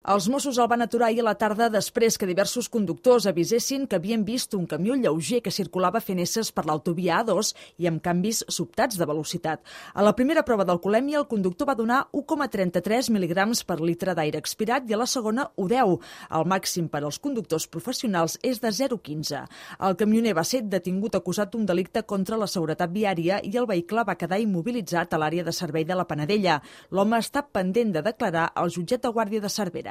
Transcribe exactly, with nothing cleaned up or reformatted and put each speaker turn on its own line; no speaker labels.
Els Mossos el van aturar ahir a la tarda després que diversos conductors avisessin que havien vist un camió lleuger que circulava fent esses per l'autovia A dos i amb canvis sobtats de velocitat. A la primera prova d'alcoholèmia, el conductor va donar u coma trenta-tres mil·ligrams per litre d'aire expirat i a la segona u deu. El màxim per als conductors professionals és de zero coma quinze. El camioner va ser detingut acusat d'un delicte contra la seguretat viària i el vehicle va quedar immobilitzat a l'àrea de servei de la Panadella. L'home està pendent de declarar al jutjat de Guàrdia de Cervera.